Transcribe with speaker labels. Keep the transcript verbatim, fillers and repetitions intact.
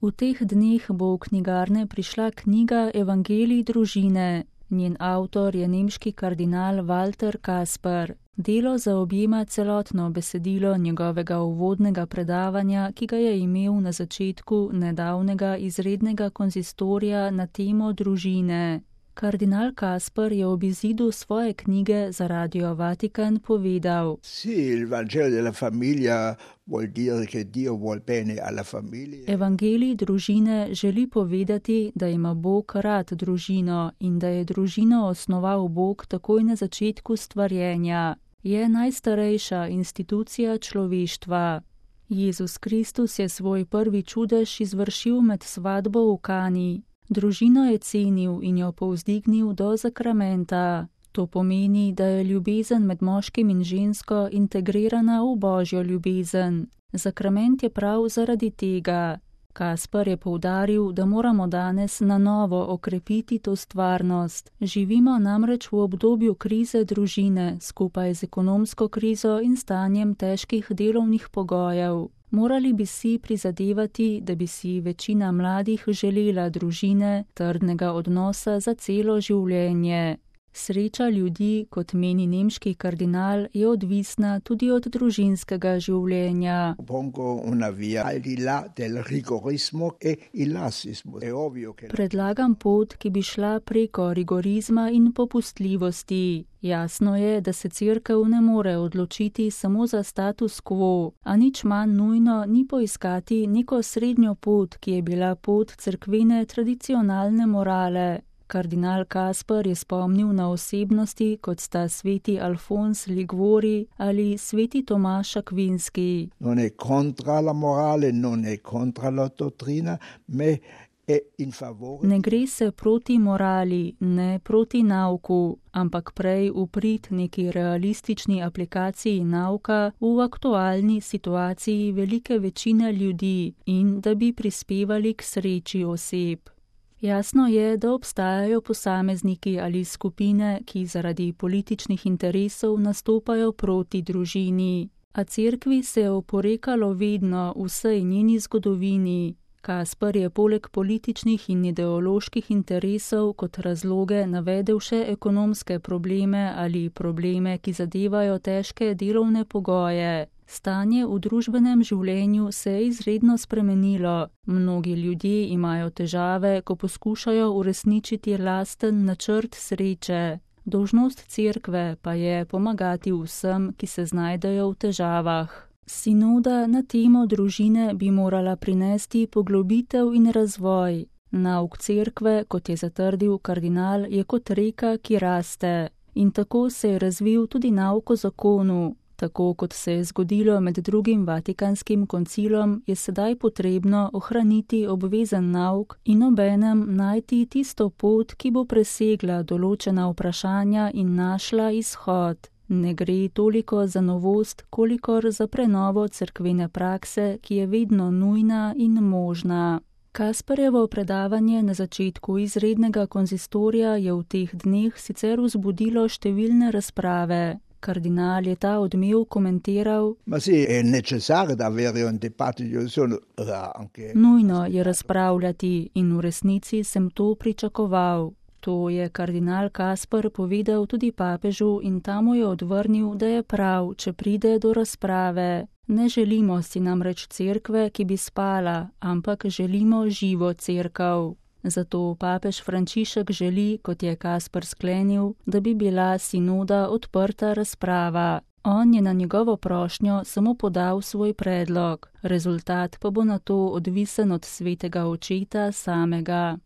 Speaker 1: V teh dneh bo v knjigarne prišla knjiga Evangelij družine. Njen avtor je nemški kardinal Walter Kasper. Delo zaobjema celotno besedilo njegovega uvodnega predavanja, ki ga je imel na začetku nedavnega izrednega konzistorija na temo družine. Kardinal Kasper je ob izidu svoje knjige za Radio Vatikan povedal: Evangelij družine želi povedati, da ima Bog rad družino in da je družino osnoval Bog takoj na začetku stvarjenja. Je najstarejša institucija človeštva. Jezus Kristus je svoj prvi čudež izvršil med svatbo v Kani. Družino je cenil in jo povzdignil do zakramenta. To pomeni, da je ljubezen med moškim in žensko integrirana v božjo ljubezen. Zakrament je prav zaradi tega. Kasper je poudaril, da moramo danes na novo okrepiti to stvarnost. Živimo namreč v obdobju krize družine, skupaj z ekonomsko krizo in stanjem težkih delovnih pogojev. Morali bi si prizadevati, da bi si večina mladih želela družine, trdnega odnosa za celo življenje. Sreča ljudi, kot meni nemški kardinal, je odvisna tudi od družinskega življenja. Predlagam pot, ki bi šla preko rigorizma in popustljivosti. Jasno je, da se cerkev ne more odločiti samo za status quo, a nič manj nujno ni poiskati neko srednjo pot, ki je bila pot cerkvene tradicionalne morale. Kardinal Kasper je spomnil na osebnosti, kot sta sveti Alfons Liguori ali sveti Tomaš Akvinski.
Speaker 2: Non è contra la morale, non è contra la dottrina, me è in favore.
Speaker 1: Ne gre se proti morali, ne proti nauku, ampak prej v prid neki realistični aplikaciji nauka v aktualni situaciji velike večine ljudi in da bi prispevali k sreči oseb. Jasno je, da obstajajo posamezniki ali skupine, ki zaradi političnih interesov nastopajo proti družini. A cerkvi se je oporekalo vedno v vsej njeni zgodovini. Kasper je poleg političnih in ideoloških interesov kot razloge navedel še ekonomske probleme ali probleme, ki zadevajo težke delovne pogoje. Stanje v družbenem življenju se je izredno spremenilo. Mnogi ljudje imajo težave, ko poskušajo uresničiti lasten načrt sreče. Dolžnost cerkve pa je pomagati vsem, ki se znajdejo v težavah. Sinoda na temo družine bi morala prinesti poglobitev in razvoj. Nauk cerkve, kot je zatrdil kardinal, je kot reka, ki raste. In tako se je razvil tudi nauk o zakonu. Tako kot se je zgodilo med drugim Vatikanskim koncilom, je sedaj potrebno ohraniti obvezen nauk in obenem najti tisto pot, ki bo presegla določena vprašanja in našla izhod. Ne gre toliko za novost, kolikor za prenovo cerkvene prakse, ki je vedno nujna in možna. Kasperjevo predavanje na začetku izrednega konzistorija je v teh dneh sicer vzbudilo številne razprave. Kardinal je ta odmev komentiral: Nujno je razpravljati in v resnici sem to pričakoval. To je kardinal Kasper povedal tudi papežu in ta mu je odvrnil, da je prav, če pride do razprave. Ne želimo si namreč cerkve, ki bi spala, ampak želimo živo cerkev. Zato papež Frančišek želi, kot je Kasper sklenil, da bi bila sinoda odprta razprava. On je na njegovo prošnjo samo podal svoj predlog, rezultat pa bo nato odvisen od svetega očeta samega.